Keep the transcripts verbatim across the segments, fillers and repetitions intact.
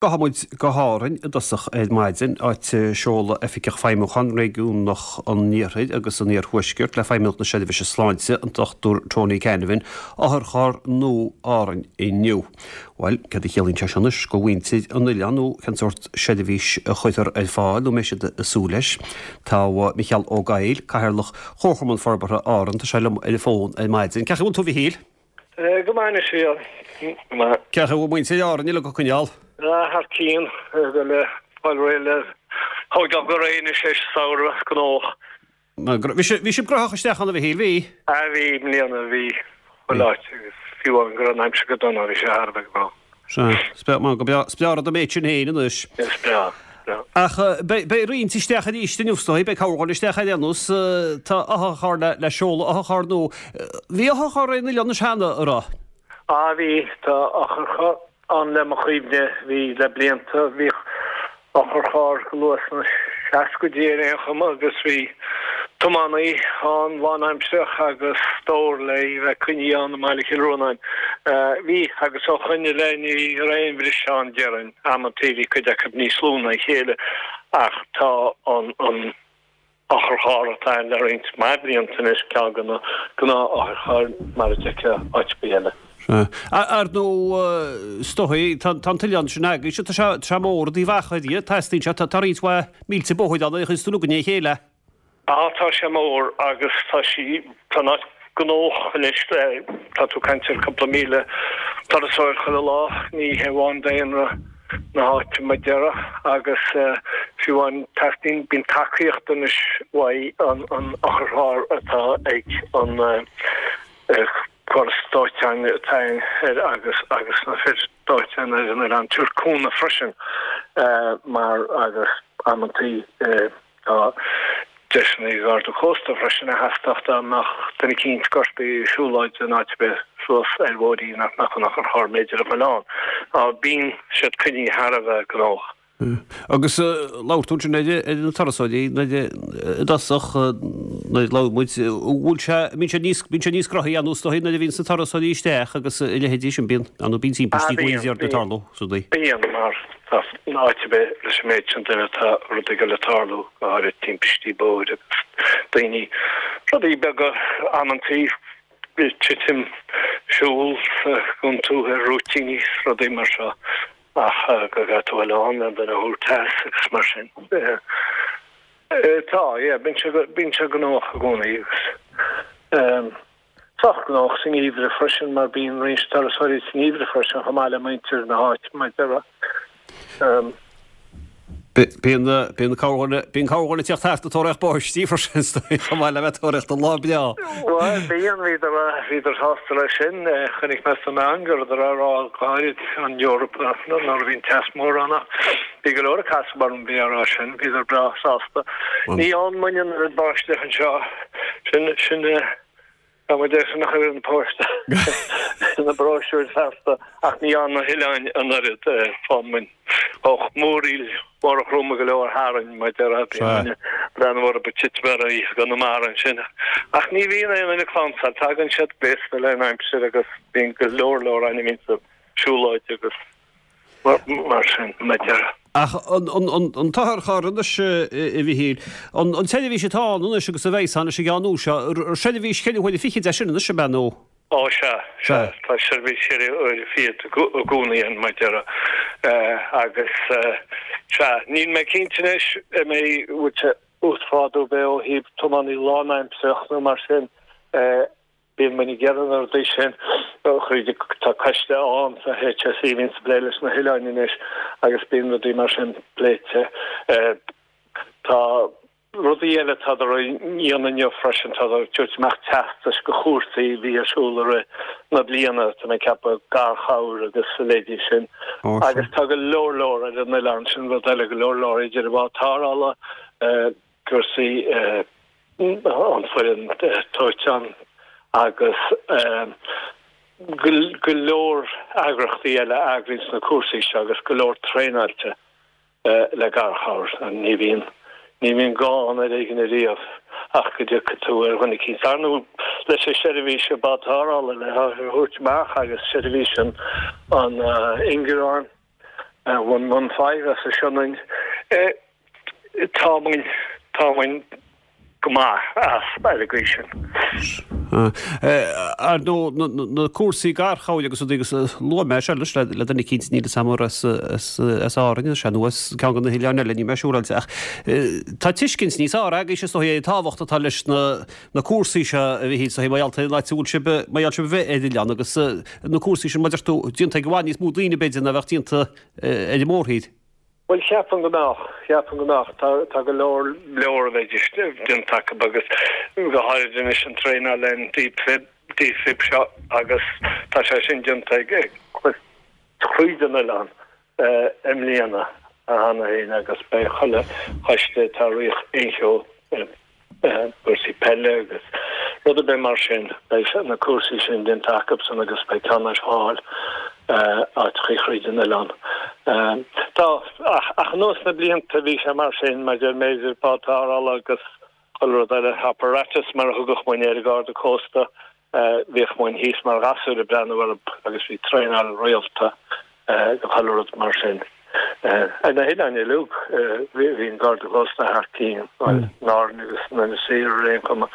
Gabhfaidh muid go hÁrainn i dtosach ar maidin, áit a seoladh Oifigeach Feidhmiúcháin Réigiúnach an Iarthair agus an Iarthuaiscirt le Feidhmeannacht na Seirbhíse Sláinte, an Dochtúir Tony Canavan, otharcharr nua Árainn inniu. Bhuel, céard a chiallaíonn sé seo anois do mhuintir an oileáin nó cén sórt seirbhís a chuirfear ar fáil nó mbeidh siad ag súil leis? Tá Micheál Ó Gaill, Cathaoirleach Chomharchumann Forbartha Árann, tá sé liom ar an bhfón ar maidin. Cén chaoi a bhfuil tú, a Mhichíl? Go maith anois, a Mhichíl. Go maith. Cén chaoi a bhfuil muintir Árann uilig á coinneáil? Thar cionn, go le fáil réidh le thógáil go réidh anois leis an samhradh gnóthach. Bhí sibh gnóthach isteach ann a Mhichíl, bhí? Ah bhí, i mbliana bhí, chuile áit agus fiú amháin go raibh an aimsir go dona bhí sé thar a bheith gnóthach. Sea, is breá, go breá, is breá rud an méid sin féin anois. Is breá, is breá. Ach beidh roinnt isteach arís inniu is dóigh, beidh cabhair isteach ar aon nós, tá otharcharr le le seoladh otharcharr nua. Bhí otharcharr ar an oileán anois cheana, an raibh? Ah bhí, tá otharcharr ann le mo chuimhne, bhí le blianta, bhíodh otharcharr go luath sna seascaidí ar aon chuma agus bhí tiománaí ann lánaimsearach agus stór le í bheith coinnithe ann i mBaile Chill Rónáin. Bhí agus ó shoin i leith ní raibh aon bhriseadh ann déarfainn, amantaí bhí cuid acu níos lú ná a chéile ach tá an an otharcharr atá ann le roinnt mhaith blianta anois, ceann de na gnáth-otharchairr mar a d'fheicfeá áit ar bith eile. Sea. Ar ndóigh, is dóigh, tá an t-oileán sin agaibhse, tá sé, tá sé mór i dtaobh achair dhe, teastaíonn sé, tá roinnt mhaith mílte bóthair ann a chuireanns tú uilig le chéile. Á, tá sé mór agus tá sí, tá an áit gnóthach anois, tá tú ag caint ar cúpla míle turasóir chuile lá, ní hé amháin daonra na háite mar a déarfá agus fiú amháin teastaíonn, bíonn tacaíocht anois uaidh an an otharcharr atá ag an córas dóiteáin atá air agus agus na fir dóiteáin ar an oileán tabhairt cúnamh freisin mar agus amantaí tá deiseanna ag Garda Cósta freisin a theastódh dá mbeadh duine eicínt gortaithe ag siúlóid in áit ar bith suas ar bhóithrín nach mbeadh an otharcharr b'fhéidir a ghoil ann. Bíonn siad coinnithe thar a bheith gnóthach. Agus labhair tú ansin ar na turasóirí nuair i dtosach nuair a labhair muid, bhfuil sé, bíonn sé níos, bíonn sé níos gnóthaí ann is dóigh nuair a bhíonns na turasóirí isteach agus a leithéidí sin, bíonn, ar ndóigh bíonn timpistí go leor ag tarlú, is dóigh. Bíonn, mar tá in áit ar bith leis an méid sin duine tá rudaí ag goil ag tarlú, go háirid timpistí bóthair agus daoine, rudaí beaga amantaí, titim, siúl sa gcontú ar rúitíní is rudaí mar seo ach go gcaithfidh tú a dhul ann le duine a thabhairt as agus mar sin. Tá, yeah, bíonn sé, bíonn sé gnóthach i gcónaí agus. Sách gnóthach sa ngeimhreadh freisin mar bíonn roinnt turasóirí sa ngeimhreadh freisin chomh maith le muintir na háite mar a déarfá. Bíonn bíonn corrdhuine bíonn corrdhuine ag tíocht thart ag tóraíocht báistí freisin is dóigh chomh maith le bheith ag tóraíocht an lá breá. Bhuel bíonn, bhíodar bhíodar sásta leis sin. Chonaic mé sna meáin go rabhadar á rá go háirid an Eoraip nuair a bhí an teas mór ann ach bhí go leor ag casadh orm bhí á rá sin, bhíodar breá sásta. Ní fhaigheann muidne an oiread báisteach anseo sin sin Tá muid ar sin a chur ar an bpost na bróisiúir feasta ach ní fhaigheann na hoileáin an oiread faigheann muid múraíl mhóra throma go leor tharainn mar a déarfá bíonn muid breathnú orthu ag titim ar aghaidh i gConamara ansin ach ní bhíonn aon duine ag clamhsán tagann siad gléasta leis an aimsir agus bíonn go leor leor againn a bhíonn ag siúlóid agus Mar sin, mar a déarfá. Ach an t-otharcharr anois, a Mhichíl, an tseirbhís atá ann anois agus a bheidh ann leis an gceann nua seo, seirbhís cheithre huaire fichead é sin anois, ab ea, nó? Ó, sea, sea, tá seirbhís cheithre huaire fichead i gcónaí ann, mar a déarfá. Agus, sea, níl mé cinnte anois an mbeidh, bhfuil sé uasghrádú ar bith ó thaobh tiománaí lánaimsearach nó mar sin, Bíonn muid ag iarraidh na rudaí sin a chur tá coiste ann sa H S E a bhíonns ag plé leis na hoileáin anois agus bíonn rudaí mar sin pléite. Tá rudaí eile tádar a dhéanamh inniu freisin, tádar ag tabhairt amach teastais do chúrsaí a bhí ar siúl i rith na bliana, tá mé ag ceapadh garchabhair agus a leithéidí sin. Agus tá go leor leor ar an oileán, sin rud eile, go leor leor idir an bhád tarrthála, cúrsaí, an foireann dóiteáin agus go leor eagrachtaí eile a eagraíonns na cúrsaí seo agus go leor traenáilte le garchabhair. Ní bhíonn, ní bhíonn gá ann ar éigean ariamh ach go dtiocfaidh tú ar dhuine eicínt. Ar ndóigh leis an seirbhís bád tarrthála le thabhairt amach agus seirbhís an an ingearáin, one one five as an Sionainn. Tá muid tá muid go maith as ar an gcaoi sin. Ar ndóigh na cúrsaí garchabhair agus rudaí agus luaigh mé seo leis le duine eicínt níl 'fhios a'm as as Árainn is ea nó as ceann de na hoileáin eile níl mé siúráilte ach tá tuiscint níos fearr agaibhse is dóigh ar an tábhacht atá leis na na cúrsaí seo a Mhichíl is dóigh mar gheall ar an áit a bhfuil sibh mar gheall sibh a bheith ar oileán agus na cúrsaí sin mar a deir tú déanta ag i bhfad níos mó daoine b'fhéidir ná bheadh déanta ar an mórthír. Bhuel, cheapfainn go mbeadh, cheapfainn go mbeadh. Tá, tá go leor, leor a bheidís déanta acu agus go háirid anois an traenáil an defib, defib seo agus tá sé sin déanta ag, ag tríd an oileán i mbliana cheana féin agus beidh chuile choiste atá ag rith aon cheo cúrsaí peile agus rud ar bith mar sin, beidh na cúrsaí sin déanta acusan agus beidh ceann ar fáil áiteachaí thríd an oileán. Tá, ach anuas na blianta bhí sé mar sin, maidir b'fhéidir bád tarrthála agus chuile rud eile, apparatus mar a thugadh muinn air, Garda Cósta, bhíodh muinn thíos mar ghasúir ag breathnú orthu agus bhí traenáil rialta do chuile rud mar sin. Ar na hoileáin uilig bhí an Garda Cósta thar cinn, bhuel, in Árainn agus in Inis Oírr ar aon chuma,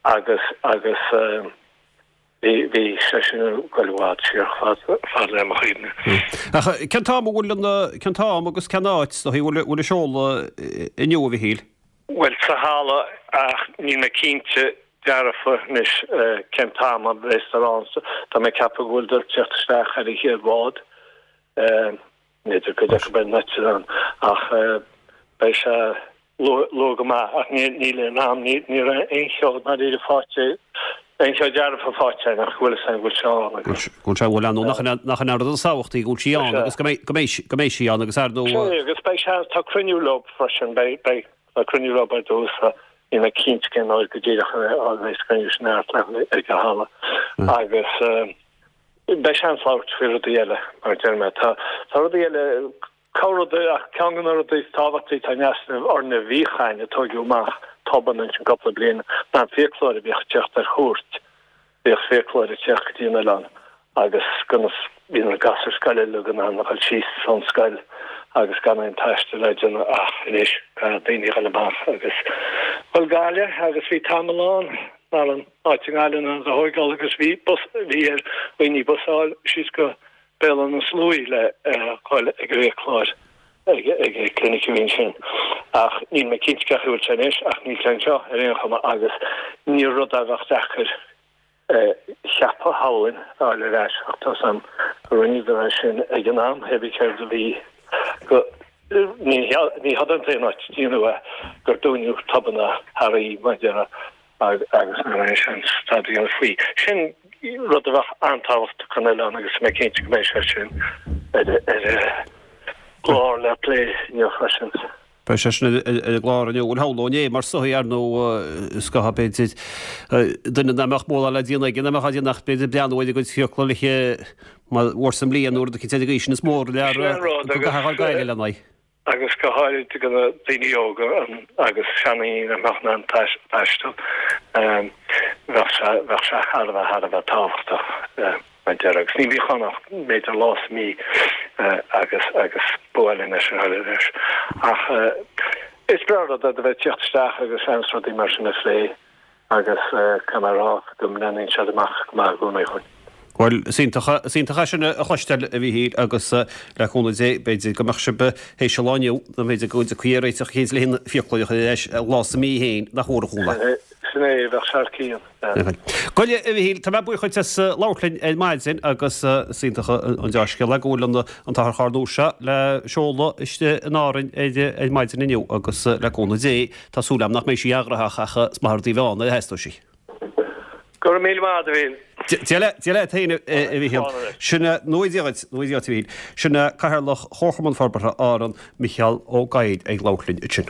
agus agus bhí bhí sé sin ag goil i bhfad siar fad fad le mo chuimhne. Ach cén t-am a bhfuil an cén t-am agus cén áit is dóigh a bhfuil bhfuil an seoladh inniu a Mhichíl? Bhuel sa halla ach níl mé cinnte dearfa anois cén t-am a bheas ar ann. Tá mé ag ceapadh go bhfuil ag teacht isteach ar an chéad bhád. N'fheadar cuid acu beidh an eitleán ach beidh sé luath go maith ach níl aon am, ní raibh aon cheo dáiríre faighte, aon cheo dearfa faighte againn ach go bhfuil fhios againn go bhfuil sé ann agus. Go bhfuil sé, bhuel ar ndóigh nach nach in an rud is tábhachtaí go bhfuil sí ann agus go mbeidh go mbeidh go mbeidh sí ann agus ar ndóigh. Sea agus beidh sé, tá cruinniú leo freisin, beidh beidh tá cruinniú leo ar dtús níl mé cinnte cén uair go díreach a bheidh an cruinniú sin thart ag an halla agus beidh seans labhairt faoi rudaí eile, mar a deir mé. Tá tá rudaí eile, corr rud, ach ceann de na rudaí is tábhachtaí atá in easnamh orainn a bhíodh againn a tóigeadh amach tobann ansin cúpla bliain ná an fiaclóir a bhíodh ag teacht ar chuairt. Bhíodh fiaclóir ag teacht go dtí an oileán agus conas bhí na gasúir scoile uilig in ann a dhul síos ón scoil agus gan aon taisteal a dhéanamh ach anois caithfidh daoine a dhul amach agus dhul Gaillimh agus bhí tamall ann nach raibh an áit i nGaillimh in ann a thóigeáil agus bhí bus bhí ar dhaoine bus a fháil síos go Béal Átha na Sluaighe le dhul ag an bhfiaclóir ag ag an clinic a bhí ansin ach níl mé cinnte cén chaoi a bhfuil sé anois ach níl sé anseo ar aon chuma agus ní rud a bheadh deacair cheapadh shamhlóinn a fháil ar ais ach tá 's a'm go rinneadar é sin ag an am, hé bí céard a bhí go ní ní hé an t-aon áit a déanadh é gur dúnadh tobanna earraí mar a déarfá agus nach raibh aon seans tada a dhéanamh faoi. Sin rud a bheadh an-tábhachtach don oileán agus tá mé cinnte go mbeidh sé sin ar ar an gclár le plé inniu freisin. Beidh sé sin ar an gclár inniu. Bhuel, shamhlóinn é mar is dóigh, ar ndóigh, is gá, b'fhéidir, duine nach mbeadh mórán le déanamh aige, nach mbeadh á déanamh ach b'fhéidir breathnú ar a gcuid fiacla le mar uair sa mbliain nó rud eicínt ar an gcaoi sin is mór an lear Sin an rud go agus gcaithfeá a ghabháil lena aghaidh. agus go háirid do na daoine óga agus seandaoine nach mbeadh in ann taisteal, bheadh sé bheadh sé thar a bheith thar a bheith tábhachtach mar a déarfá agus ní bhíodh ann ach b'fhéidir lá sa mí agus agus ba mhaith linn é sin a chur ar ais. Ach is breá an rud é do bheith ag tíocht isteach agus seans rudaí mar sin a phlé agus caithfidh mé a rá go mbreathnaíonn siad amach go maith i gcónaí chugainn. Bhuel, is iontach, is iontach é sin a chloisteáil, a Mhíchíl, agus le cúnamh Dé, b'fhéidir go mbeadh sibh théis an lá inniu, nó b'fhéidir go dtiocfaí ar réiteach eicínt le haon fiaclóir a chur ar ais lá sa mí féin, nach mór an chúnamh é. Sin é, bheadh sé thar cionn. Go leor, a Mhíchíl, tá mé buíoch duit as labhairt linn ar maidin agus is iontach an dea-scéal é go bhfuil an t-otharcharr nua seo le seoladh istigh in Árainn ar maidin inniu agus le cúnamh Dé, tá súil agam nach mbeidh sí an-ghnóthach ach is maith an rud í a bheith ann nuair a theastóidh sí. Go raibh míle maith agat, a Mhíchíl. Dia leat, Dia leat féin, a Mhíchíl. Sin é, nó Dia dhuit, nó Dia dhuit, a Mhíchíl. Sin é Cathaoirleach Chomharchumann Forbartha Árann, Micheál Ó Gaill ag labhairt linn ansin.